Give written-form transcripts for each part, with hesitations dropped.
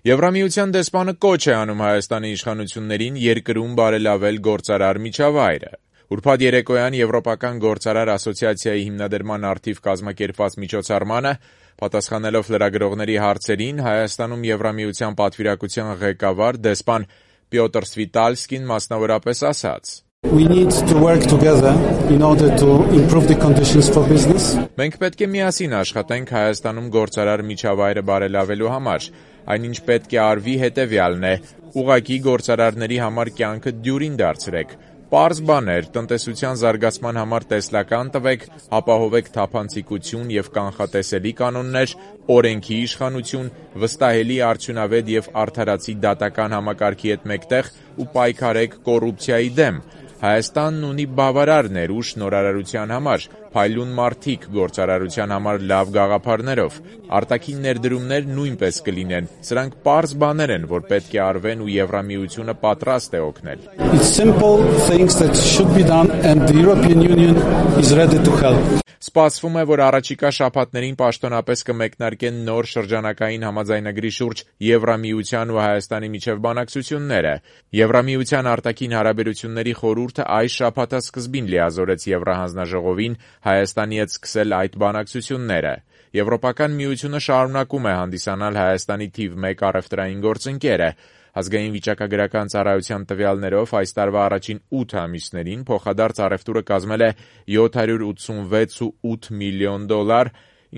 Եվրամիության դեսպանը կոչ է անում Հայաստանի իշխանություններին երկրում բարելավել գործարար միջավայրը։ Ուրբաթ երեկոյան Եվրոպական գործարար ասոցիացիայի հիմնադրման առթիվ կազմակերպված միջոցառմանը, պատասխանելով լրագրողների հարցերին, Հայաստանում Եվրամիության պատվիրակության ղեկավար դեսպան Պյոտր Սվիտալսկին մասնավորապես ասաց. We need to work together in order to improve the conditions for business. Մենք պետք է միասին աշխատենք Հայաստանում գործարար միջավայրը բարելավելու համար։ Այնինչ պետք է արվի հետևյալն է. ուղղակի գործարարների համար կյանքը դյուրին դարձրեք։ Պարզ բաներ, տնտեսության զարգացման համար տեսլական տվեք, ապահովեք թափանցիկություն եւ կանխատեսելի կանոններ, օրենքի իշխանություն, վստահելի արդյունավետ եւ արդարացի դատական համակարգի հետ մեկտեղ ու պայքարեք կոռուպցիայի դեմ։ Հայաստանն ունի բավարար ներուժ նորարարության համար, փայլուն մարդիկ գործարարության համար լավ գաղափարներով։ Արտաքին ներդրումներ նույնպես կլինեն։ Սրանք պարզ բաներ են, որ պետք է արվեն ու Եվրամիությունը պատրաստ է օգնել։ It's simple things that should be done and the European Union is ready to help. Սպասվում է, որ առաջիկա շաբաթներին պաշտոնապես կմեկնարկեն նոր շրջանակային համաձայնագրի շուրջ Եվրամիության ու Հայաստանի միջև բանակցությունները։ Եվրամիության արտաքին հարաբերությունների խորհուրդը այս շաբաթասկզբին լիազորեց Եվրահանձնաժողովին Հայաստանի հետ սկսել այդ բանակցությունները։ Եվրոպական միությունը շարունակում է հանդիսանալ Հայաստանի թիվ 1 առևտրային գործընկերը։ Ազգային վիճակագրական ծառայության տվյալներով այս տարվա առաջին 8 ամիսներին փոխադարձ առևտուրը կազմել է $786.8 միլիոն,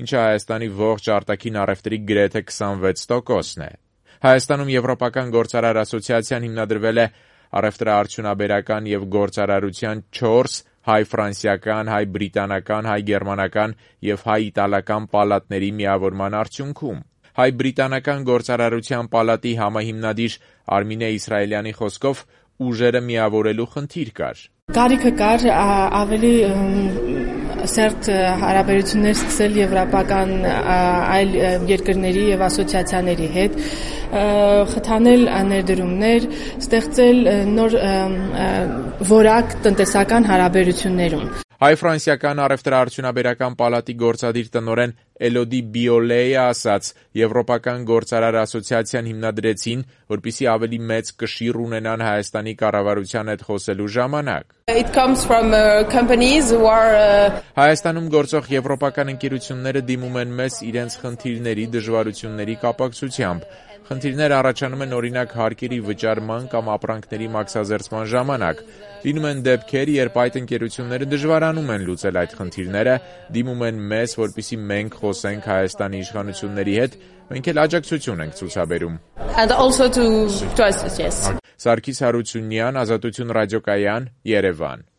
ինչը Հայաստանի ողջ արտաքին առևտրի գրեթե 26%-ն է։ Հայաստանում Եվրոպական գործարար ասոցիացիան հիմնադրվել է առևտրաարդյունաբերական եւ գործարարության 4 հայ-ֆրանսիական, հայ-բրիտանական, հայ-գերմանական եւ հայ-իտալական պալատների միավորման արդյունքում։ Հայ-բրիտանական գործարարության պալատի համահիմնադիր Արմինե Իսրայելյանի խոսքով ուժերը միավորելու խնդիր կար։ Կարիքը կար ավելի սերտ հարաբերություններ սկսել եվրոպական այլ երկրների եւ ասոցիացիաների հետ, խթանել ներդրումներ, ստեղծել նոր որակ տնտեսական հարաբերություններում։ Հայ-ֆրանսիական առևտրաարդյունաբերական պալատի գործադիր տնօրեն Էլոդի Բիոլեյը ասաց. Եվրոպական գործարար ասոցիացիան հիմնադրեցին, որպեսզի ավելի մեծ կշիռ ունենան Հայաստանի կառավարության հետ խոսելու ժամանակ։ It comes from companies who are Հայաստանում գործող եվրոպական ընկերությունները դիմում են մեզ իրենց խնդիրների, դժվարությունների կապակցությամբ։ Խնդիրներ առաջանում են օրինակ հարկերի վճարման կամ ապրանքների մաքսազերծման ժամանակ։ Լինում են դեպքեր, երբ այդ ընկերությունները դժվարանում են լուծել այդ խնդիրները, դիմում են մեզ, որպեսզի մենք խոսենք Հայաստանի իշխանությունների հետ, մենք էլ աջակցություն ենք ցուցաբերում։ and also to us, yes. Սարգիս Հարությունյան, Ազատություն ռադիոկայան, Երևան։